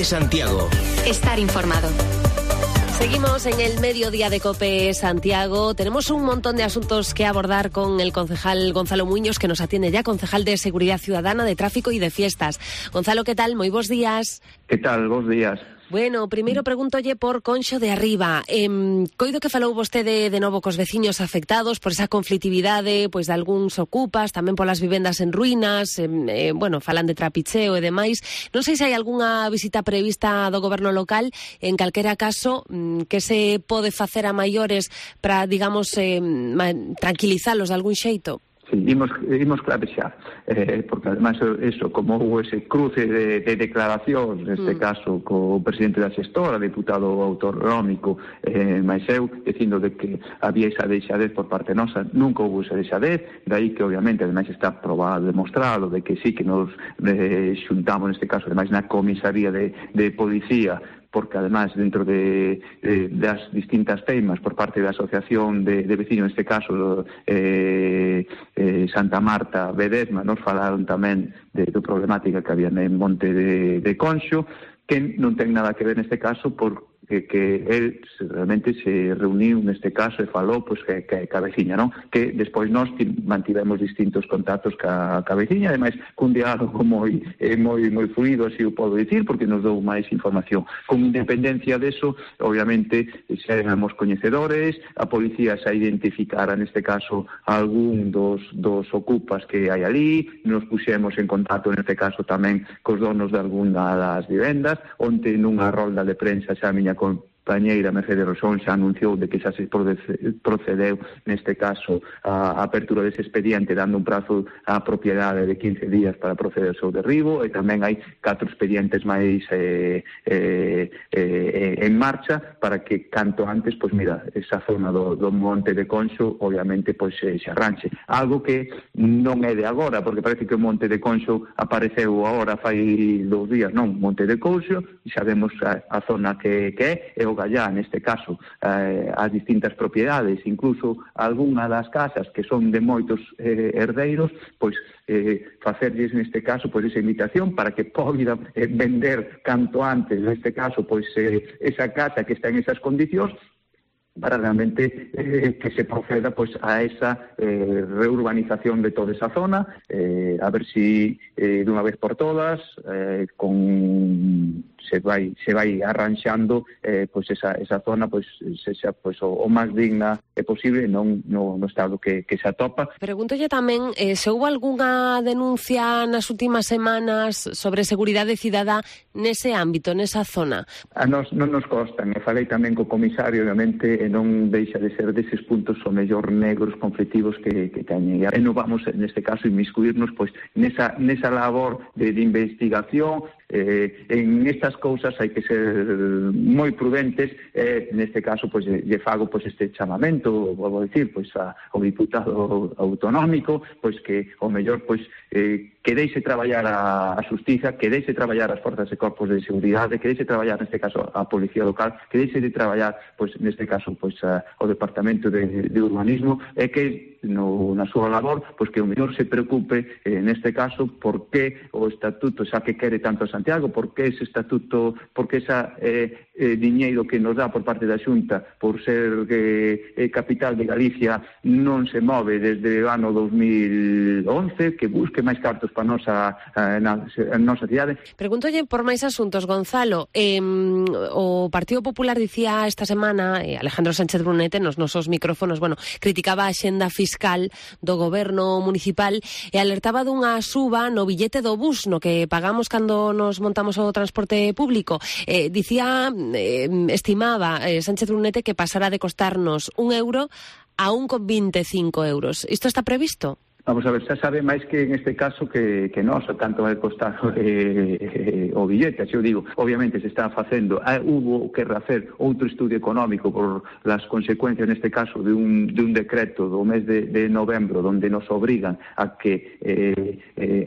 Santiago. Estar informado. Seguimos en el mediodía de COPE Santiago. Tenemos un montón de asuntos que abordar con el concejal Gonzalo Muiños, que nos atiende ya, concejal de Seguridad Ciudadana, de Tráfico y de Fiestas. Gonzalo, ¿qué tal? Moi bons días. Que tal? Bons días. Bueno, primeiro pregúntolle por Conxo de Arriba. Coido que falou vostede de novo cos veciños afectados por esa conflitividade, pois de algúns ocupas, tamén polas vivendas en ruínas, falan de trapicheo e demais. Non sei se hai algunha visita prevista do goberno local, en calquera caso, que se pode facer a maiores para, digamos, tranquilizalos de algún xeito? Sí, imos clave xa, porque además eso, como houve ese cruce de declaracións, neste caso co presidente da xestora, deputado autonómico, máis eu, dicindo de que había esa deixadez por parte nosa, nunca houve esa deixadez, daí que obviamente ademais está probado, demostrado, de que sí que nos xuntamos neste caso, ademais na comisaría de policía, porque además dentro das distintas teimas por parte da asociación de vecinos, neste caso Santa Marta, Bedesma, nos falaron tamén do problemática que había en Monte de Conxo, que non ten nada que ver neste caso porque él realmente se reuniu neste caso e falou pois que a veciña, non? Que despois nós mantivemos distintos contactos ca veciña, ademais cun diálogo moi fluido, así o podo dicir, porque nos dou máis información. Con independencia deso, obviamente, xa éramos coñecedores, a policía xa identificara neste caso algún dos ocupas que hai ali, nos puxemos en contacto neste caso tamén cos donos de algunha das vivendas, onte nunha rolda de prensa xa a miña compañeira Mercedes Rosón xa anunciou de que xa se procedeu neste caso a apertura dese expediente, dando un prazo á propiedade de 15 días para proceder ao seu derribo, e tamén hai 4 expedientes máis en marcha para que canto antes, pois mira, esa zona do Monte de Conxo obviamente pois se arranxe. Algo que non é de agora, porque parece que o Monte de Conxo apareceu agora fai 2 días, non, Monte de Conxo, e sabemos a zona que é, e o Gallá, neste caso, as distintas propiedades, incluso algunha das casas que son de moitos herdeiros, pois facerlles neste caso pois esa invitación para que poida vender canto antes, neste caso, pois esa casa que está en esas condicións, para realmente que se proceda pois a esa reurbanización de toda esa zona, a ver si dunha vez por todas se vai arranxando pois esa zona pois sexa pois o máis digna posible, non no estado que se atopa. Preguntolle tamén se houve algunha denuncia nas últimas semanas sobre seguridade cidadá nese ámbito, nesa zona. A nos non nos constan, e falei tamén co comisario, obviamente, e non deixa de ser deses puntos o mellor negros conflictivos que teñen. E non vamos, neste caso, inmiscuirnos pois nesa labor de investigación. En estas cousas hai que ser moi prudentes, neste caso pois lle fago pois este chamamento, vou dicir, pois ao diputado autonómico, pois que o mellor pois que deixe traballar a xustiza, que deixe traballar as forzas e corpos de seguridade, que deixe traballar neste caso a policía local, que deixe de traballar pois neste caso pois o departamento de urbanismo, e que na súa labor, pois que o mellor se preocupe neste caso por que o estatuto xa que quere tanto Santiago, por que ese estatuto, por que esa diñeiro que nos dá por parte da Xunta por ser capital de Galicia non se move desde o ano 2011, que busque máis cartos para a nosa cidade. Pregúntolle por máis asuntos, Gonzalo. O Partido Popular dicía esta semana, Alejandro Sánchez Brunete nos nosos micrófonos, criticaba a xenda fiscal do goberno municipal e alertaba dunha suba no billete do bus, no que pagamos cando nos montamos o transporte público. Estimaba Sánchez Brunete que pasara de costarnos €1 a 1,25 euros. Isto está previsto? Vamos a ver, xa sabe máis que en este caso que nós, tanto vai costar o billete, eu digo, obviamente se está facendo, hubo que hacer outro estudio económico por las consecuencias, neste caso, de un decreto do mes de novembro, donde nos obrigan a que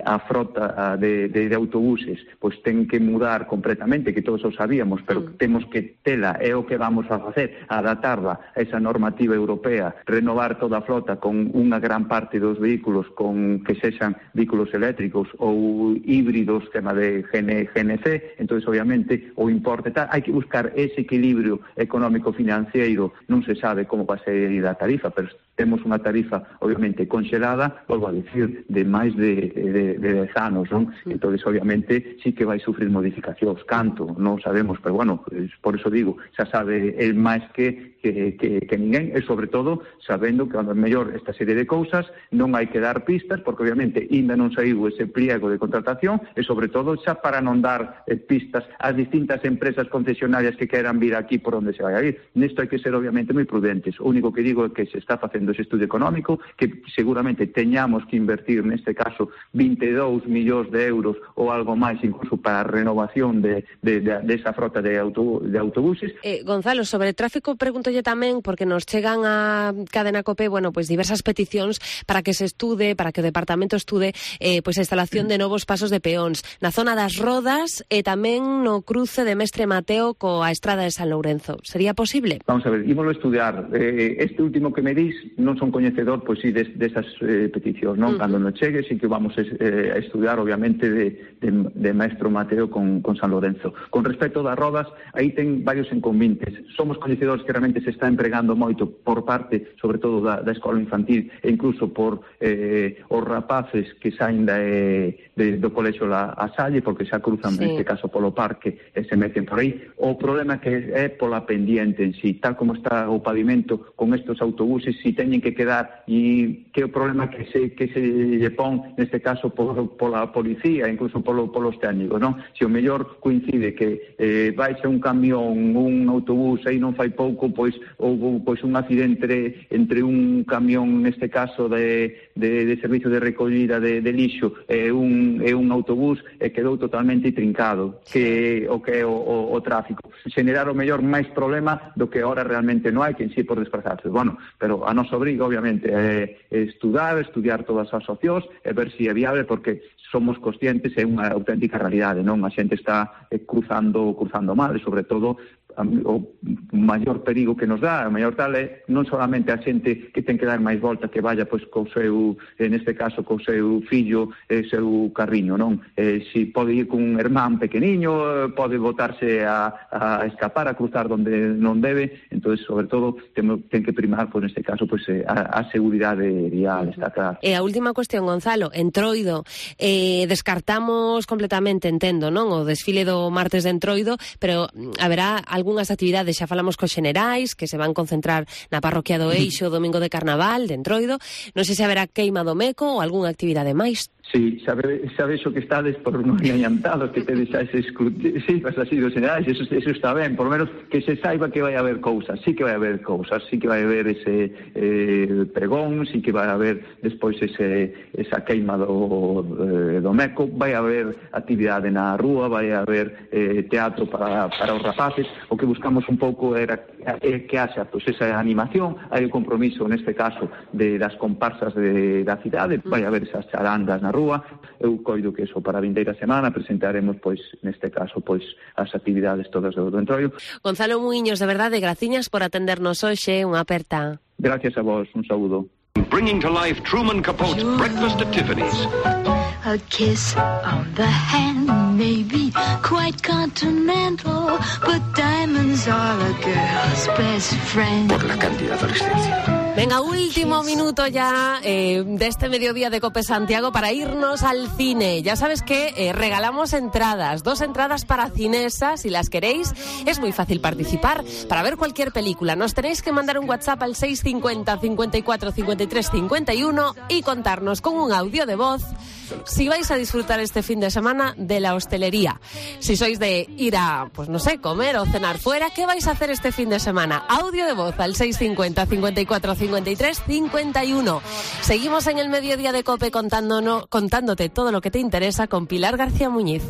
a frota de autobuses pois ten que mudar completamente, que todos o sabíamos, pero temos que tela, é o que vamos a facer, adaptarla a esa normativa europea, renovar toda a flota con unha gran parte dos vehículos vehículos que sexan vehículos eléctricos ou híbridos, tema de GNC, entonces obviamente o importe tal, hai que buscar ese equilibrio económico-financiero, non se sabe como vai ser a tarifa, pero temos unha tarifa obviamente conxelada, volvo a dicir, de máis de 10 anos, non? Entonces obviamente sí que vai sufrir modificacións, canto, non sabemos, pero bueno, por eso digo, xa sabe el máis que ninguén, e sobre todo sabendo que a mellor esta serie de cousas non hai que dar pistas, porque obviamente ainda non saiu ese pliego de contratación, e sobre todo xa para non dar pistas ás distintas empresas concesionarias que queran vir aquí por onde se vai a ir. Nesto hai que ser obviamente moi prudentes. O único que digo é que se está facendo ese estudio económico, que seguramente teñamos que invertir neste caso 22 millóns de euros ou algo máis incluso para a renovación de esa frota de autobuses. Gonzalo, sobre tráfico pregúntolle tamén, porque nos chegan a Cadena COPE, bueno, pues diversas peticións para que se estude, para que o departamento estude pues a instalación de novos pasos de peóns na zona das Rodas e tamén no cruce de Mestre Mateo coa estrada de San Lourenzo. Sería posible? Vamos a ver, ímolo estudiar. Este último que me dis non son coñecedor, pois sí, desas peticións, non? Cando nos chegue, sí que vamos a estudiar, obviamente, de Maestro Mateo con San Lourenzo. Con respecto das Rodas, aí ten varios enconvintes. Somos coñecedores que realmente se está empregando moito por parte, sobre todo, da escola infantil e incluso por os rapaces que saen do colexo a Salle, porque xa cruzan, neste caso, polo parque e se meten por aí. O problema que é pola pendiente en sí, tal como está o pavimento con estos autobuses, si teñen que quedar, e que o problema que se lle pon, neste caso, pola policía, incluso polos técnicos, non? Se o mellor coincide que baixa un camión, un autobús, aí non fai pouco, pois houve un accidente entre un camión, neste caso, de servicio de recollida de lixo e un autobús, e quedou totalmente trincado, que é o tráfico. Xenerar o mellor máis problema do que ahora realmente non hai, que en sí por desplazarse. Bueno, pero a nosa obriga, obviamente, é estudiar todas as opcións e ver se é viable, porque somos conscientes, é unha auténtica realidade, non? A xente está cruzando mal, e sobre todo o maior perigo que nos dá, o maior tal é non solamente a xente que ten que dar máis volta, que vaya pois co seu, neste caso, co seu fillo e seu carriño, non? Si pode ir con un hermán pequeniño, pode botarse a escapar, a cruzar donde non debe, entonces sobre todo ten que primar, pois neste caso, pois a seguridade vial, está claro. E a última cuestión, Gonzalo, Entroido, descartamos completamente, entendo, non? O desfile do martes de Entroido, pero haberá algunhas actividades, xa falamos cos xenerais, que se van concentrar na parroquia do Eixo o domingo de Carnaval, de Entroido. Non sei se haberá queima do Meco ou algunha actividade máis. Sí, sabes o que estades por non adiantados, que tedes ese sí, pues así dos generais, eso está ben, por lo menos que se saiba que vai haber cousas, sí que vai haber cousas, sí que vai haber ese pregón, sí que vai haber despois esa queima do Meco, vai haber actividade na rúa, vai haber teatro para os rapaces. O que buscamos un pouco era que haxa pues esa animación, hai o compromiso neste caso das comparsas da cidade, vai haber esas charangas na rúa. Eu coido que eso para a vindeira semana presentaremos, pois, neste caso, pois, as actividades todas do Entroido. Gonzalo Muiños, de verdade, graciñas por atendernos hoxe, unha aperta. Gracias a vos, un saúdo. Bringing to life Truman Capote's Breakfast at Tiffany's. A kiss on the hand may be quite continental, but diamonds are a girl's best friend. Por la cándida adolescencia. Venga, último minuto ya de este mediodía de COPE Santiago para irnos al cine. Ya sabes que regalamos entradas, 2 entradas para Cinesa, si las queréis. Es muy fácil participar para ver cualquier película. Nos tenéis que mandar un WhatsApp al 650 54 53 51 y contarnos con un audio de voz si vais a disfrutar este fin de semana de la hostelería. Si sois de ir a, pues no sé, comer o cenar fuera, ¿qué vais a hacer este fin de semana? Audio de voz al 650 54 53 51. Seguimos en el mediodía de COPE contándote todo lo que te interesa con Pilar García Muñiz.